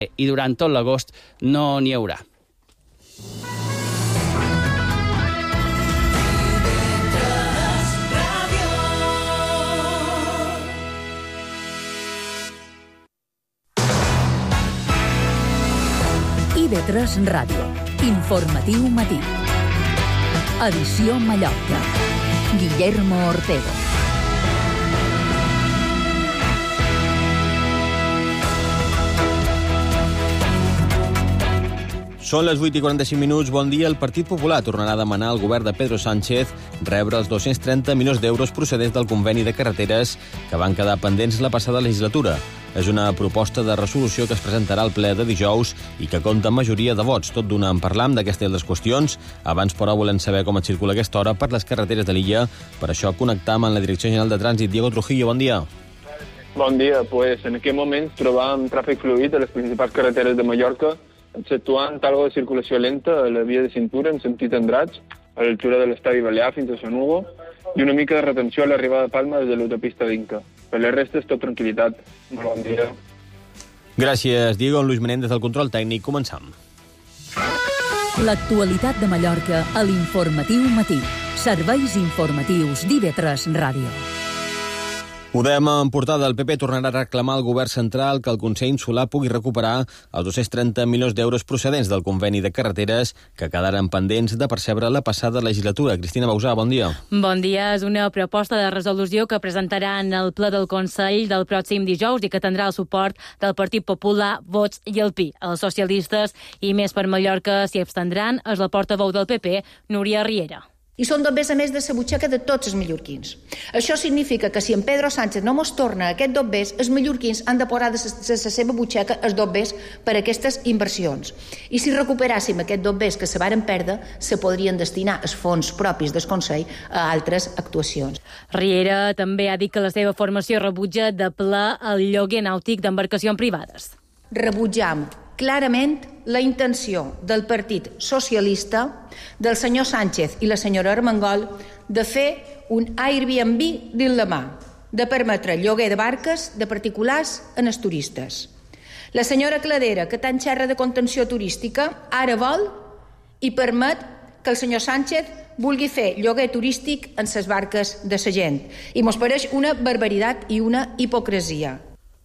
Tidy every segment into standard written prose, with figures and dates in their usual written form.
i durant tot l'agost no n'hi haurà. IB3 Ràdio. Informatiu matí. Edició Mallorca. Guillermo Ortego. Són les 8:45. Bon dia. El Partit Popular tornarà a demanar al govern de Pedro Sánchez rebre els 230 milions d'euros procedents del conveni de carreteres que van quedar pendents la passada legislatura. És una proposta de resolució que es presentarà al ple de dijous i que compta amb majoria de vots. Tot d'una en parlam d'aquestes i altres qüestions. Abans, però, volem saber com es circula aquesta hora per les carreteres de l'illa. Per això connectam amb la Direcció General de Trànsit. Diego Trujillo, bon dia. Bon dia. En aquest moment trobam tràfic fluid a les principals carreteres de Mallorca, exceptuant algo de circulació lenta a la via de cintura en sentit Andratx, a l'altura de l'estadi Balear fins a Sant Hugo, i una mica de retenció a l'arribada de Palma des de l'autopista d'Inca. Per la resta és tot tranquil·litat. Molt bon dia. Gràcies, Diego. Luis Menéndez del control tècnic. Començam. L'actualitat de Mallorca a l'Informatiu Matí. Serveis informatius d'IB3 Ràdio. Ho dèiem en portada, el PP tornarà a reclamar al govern central que el Consell Insular pugui recuperar els 230 milions d'euros procedents del conveni de carreteres que quedaren pendents de percebre la passada legislatura. Cristina Bausà, bon dia. Bon dia. És una proposta de resolució que presentaran al ple del Consell del pròxim dijous i que tindrà el suport del Partit Popular, Vox i el PI. Els socialistes i Més per Mallorca s'hi abstendran. És la portaveu del PP, Núria Riera. I són dobbers a més de la butxaca de tots els mallorquins. Això significa que si en Pedro Sánchez no mos torna aquest dobbers, els mallorquins han de posar de la seva butxaca els dobbers per a aquestes inversions. I si recuperàssim aquest dobbers que se varen perdre, se podrien destinar els fons propis del Consell a altres actuacions. Riera també ha dit que la seva formació rebutja de ple el lloguer nàutic d'embarcacions privades. Rebutjam clarament la intenció del Partit Socialista, del senyor Sánchez i la senyora Armengol, de fer un Airbnb dins la mà, de permetre el lloguer de barques de particulars en els turistes. La senyora Cladera, que tant xerra de contenció turística, ara vol i permet que el senyor Sánchez vulgui fer lloguer turístic en les barques de sa gent. I mos pareix una barbaritat i una hipocresia.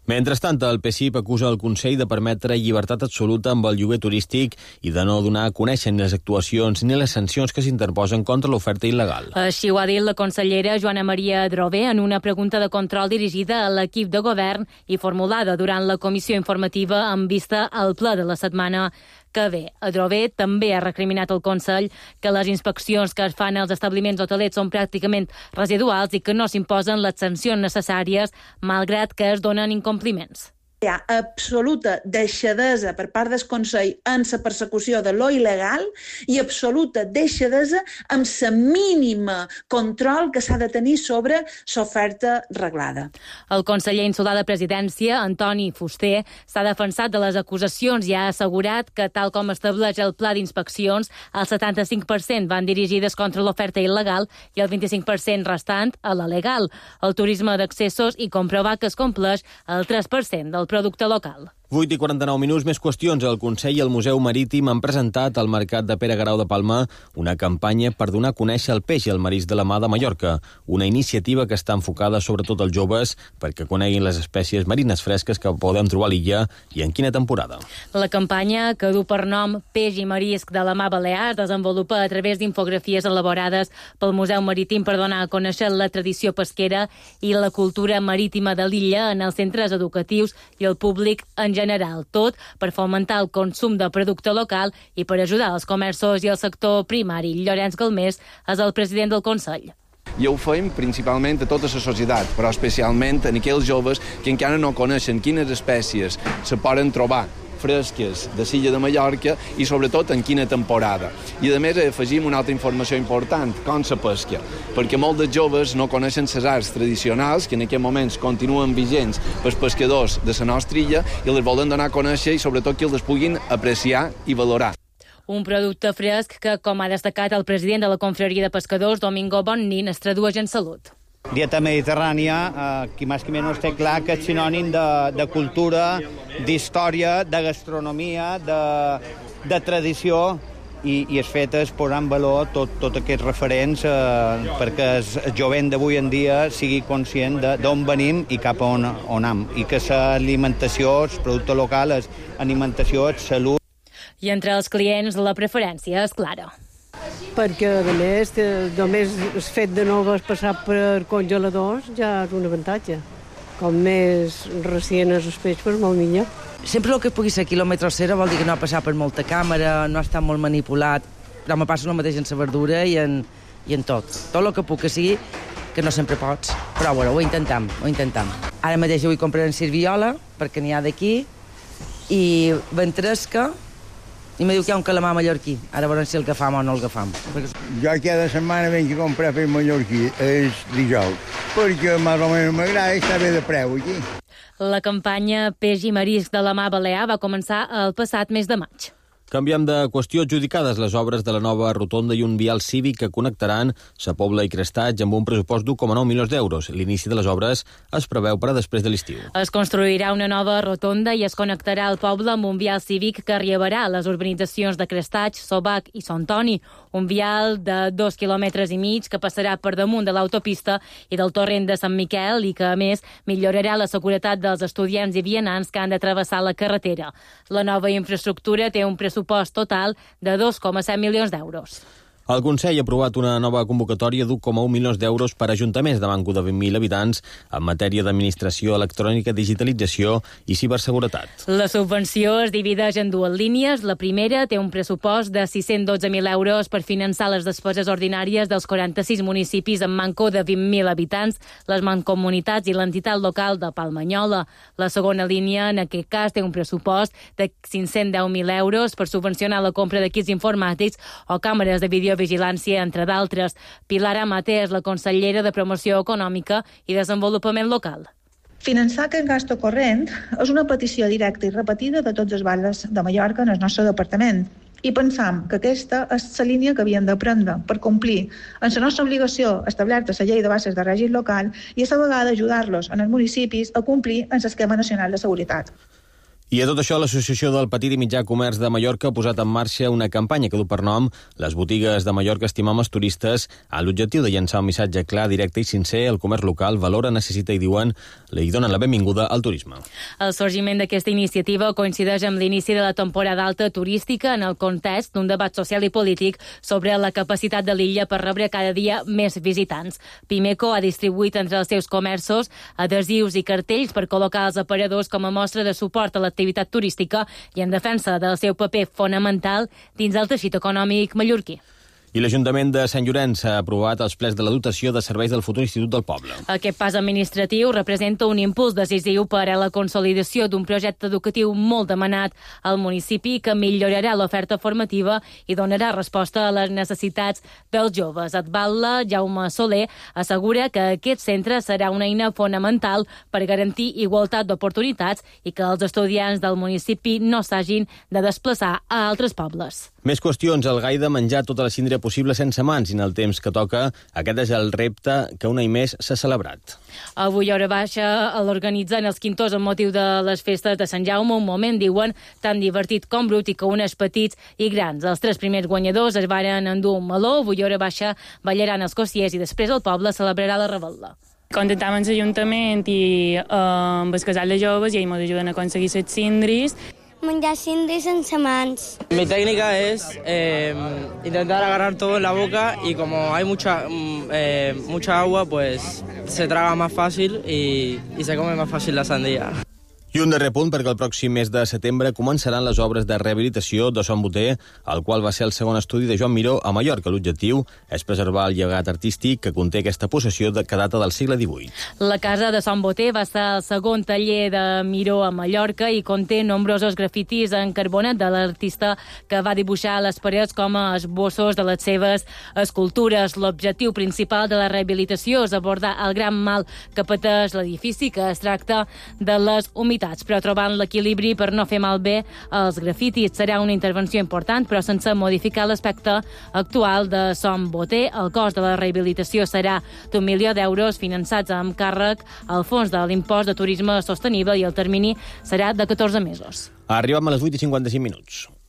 Mentrestant, el PSIP acusa el Consell de permetre llibertat absoluta amb el lloguer turístic i de no donar a conèixer ni les actuacions ni les sancions que s'interposen contra l'oferta il·legal. Així ho ha dit la consellera Joana Maria Adrover en una pregunta de control dirigida a l'equip de govern i formulada durant la comissió informativa amb vista al ple de la setmana que ve. Adrover també ha recriminat al Consell que les inspeccions que es fan als establiments hotelers són pràcticament residuals i que no s'imposen les sancions necessàries, malgrat que es donen incompliments. Hi ha absoluta deixadesa per part del Consell en la persecució de lo il·legal i absoluta deixadesa amb la mínima control que s'ha de tenir sobre l'oferta reglada. El conseller insular de Presidència, Antoni Fuster, s'ha defensat de les acusacions i ha assegurat que, tal com estableix el pla d'inspeccions, el 75% van dirigides contra l'oferta il·legal i el 25% restant a la legal. El turisme d'accessos i comprovar que es compleix el 3% del producte local. 8:49, més qüestions. El Consell i el Museu Marítim han presentat al Mercat de Pere Garau de Palma una campanya per donar a conèixer el peix i el marisc de la mar de Mallorca, una iniciativa que està enfocada sobretot als joves perquè coneguin les espècies marines fresques que podem trobar a l'illa i en quina temporada. La campanya, que du per nom Peix i Marisc de la Mar Balear, es desenvolupa a través d'infografies elaborades pel Museu Marítim per donar a conèixer la tradició pesquera i la cultura marítima de l'illa en els centres educatius i el públic en general, tot per fomentar el consum de producte local i per ajudar els comerços i el sector primari. Llorenç Galmés és el president del Consell. I ho fem principalment a tota la societat, però especialment en aquells joves que encara no coneixen quines espècies se poden trobar fresques de l'illa de Mallorca i sobretot en quina temporada. I a més afegim una altra informació important, com la pesca, perquè molts dels joves no coneixen les arts tradicionals que en aquests moments continuen vigents pels pescadors de la nostra illa i les volen donar a conèixer i sobretot que els puguin apreciar i valorar. Un producte fresc que, com ha destacat el president de la Confraria de Pescadors, Domingo Bonnin, es tradueix en salut. Dieta mediterrània, qui més que menys té clar que és sinònim de cultura, d'història, de gastronomia, de tradició, i és fet posar en valor tots aquests referents perquè el jovent d'avui en dia sigui conscient d'on venim i cap a on anem, i que l'alimentació, els productes locals, alimentació, salut. I entre els clients la preferència és clara. Perquè, a més, només el fet de no haver passat per congeladors ja és un avantatge. Com més recient és el peix, doncs molt millor. Sempre el que pugui ser quilòmetre cero vol dir que no ha passat per molta càmera, no ha estat molt manipulat, però me passa el mateix en la verdura i en tot. Tot el que puc que sigui, que no sempre pots, però bueno, ho intentam. Ara mateix vull comprar en serviola, perquè n'hi ha d'aquí, i ventresca, i me diu que hi ha un calamar mallorquí. Ara veurem si el agafam o no el agafam. Jo cada setmana venc a comprar per mallorquí, és dijous, perquè més o menys m'agrada estar bé de preu aquí. La campanya Peix i Marisc de la Mà Balear va començar el passat mes de maig. Canviem de qüestió. Adjudicades les obres de la nova rotonda i un vial cívic que connectaran Sa Pobla i Crestatge amb un pressupost d'1,9 milions d'euros. L'inici de les obres es preveu per a després de l'estiu. Es construirà una nova rotonda i es connectarà el poble amb un vial cívic que arribarà a les urbanitzacions de Crestatge, Sobac i Sant Toni. Un vial de 2,5 quilòmetres que passarà per damunt de l'autopista i del torrent de Sant Miquel i que, a més, millorarà la seguretat dels estudiants i vianants que han de travessar la carretera. La nova infraestructura té un pressupost total de 2,7 milions d'euros. El Consell ha aprovat una nova convocatòria d'1,1 milions d'euros per a ajuntaments de manco de 20.000 habitants en matèria d'administració electrònica, digitalització i ciberseguretat. La subvenció es divideix en dues línies. La primera té un pressupost de 612.000 euros per finançar les despeses ordinàries dels 46 municipis amb manco de 20.000 habitants, les mancomunitats i l'entitat local de Palmanyola. La segona línia, en aquest cas, té un pressupost de 510.000 euros per subvencionar la compra d'equips informàtics o càmeres de videovigilància, entre d'altres. Pilar Amate és la consellera de Promoció Econòmica i Desenvolupament Local. Finançar aquest gasto corrent és una petició directa i repetida de tots els barris de Mallorca en el nostre departament. I pensam que aquesta és la línia que havien de prendre per complir amb la nostra obligació establerta a la llei de bases de règim local i a la vegada ajudar-los en els municipis a complir amb l'esquema nacional de seguretat. I a tot això, l'Associació del Petit i Mitjà Comerç de Mallorca ha posat en marxa una campanya que du per nom Les botigues de Mallorca estimam els turistes, amb l'objectiu de llançar un missatge clar, directe i sincer. El comerç local valora, necessita i diuen li donen la benvinguda al turisme. El sorgiment d'aquesta iniciativa coincideix amb l'inici de la temporada alta turística en el context d'un debat social i polític sobre la capacitat de l'illa per rebre cada dia més visitants. Pimeco ha distribuït entre els seus comerços adhesius i cartells per col·locar els aparadors com a mostra de suport a l'activitat turística i en defensa del seu paper fonamental dins el teixit econòmic mallorquí. I l'Ajuntament de Sant Llorenç ha aprovat els plens de la dotació de serveis del futur Institut del Poble. Aquest pas administratiu representa un impuls decisiu per a la consolidació d'un projecte educatiu molt demanat al municipi que millorarà l'oferta formativa i donarà resposta a les necessitats dels joves. Adbatla, Jaume Soler, assegura que aquest centre serà una eina fonamental per garantir igualtat d'oportunitats i que els estudiants del municipi no s'hagin de desplaçar a altres pobles. Més qüestions. El gai de menjar tota la síndria possible sense mans i en el temps que toca. Aquest és el repte que un any més s'ha celebrat. Avui hora baixa l'organitzen els quintors amb motiu de les festes de Sant Jaume, un moment, diuen, tan divertit com brut i que uneix petits i grans. Els 3 primers guanyadors es varen endur un meló. Avui hora baixa ballaran els cossiers i després el poble celebrarà la revetlla. Contactam amb l'Ajuntament i amb el casal de joves i ells ens ajuden a aconseguir les síndries. Menjar síndries sense mans. Mi técnica es intentar agarrar todo en la boca y como hay mucha agua, pues se traga más fácil y se come más fácil la sandía. I un darrer punt, perquè el pròxim mes de setembre començaran les obres de rehabilitació de Son Boter, el qual va ser el segon estudi de Joan Miró a Mallorca. L'objectiu és preservar el llegat artístic que conté aquesta possessió que data del segle XVIII. La casa de Son Boter va ser el segon taller de Miró a Mallorca i conté nombrosos grafitis en carbonet de l'artista que va dibuixar les parets com a esbossos de les seves escultures. L'objectiu principal de la rehabilitació és abordar el gran mal que pateix l'edifici, que es tracta de les humitats ciutats, però trobant l'equilibri per no fer malbé els grafitis. Serà una intervenció important, però sense modificar l'aspecte actual de Som Boter. El cost de la rehabilitació serà d'1 milió d'euros finançats amb càrrec al fons de l'impost de turisme sostenible i el termini serà de 14 mesos. Arribem a les 8:55.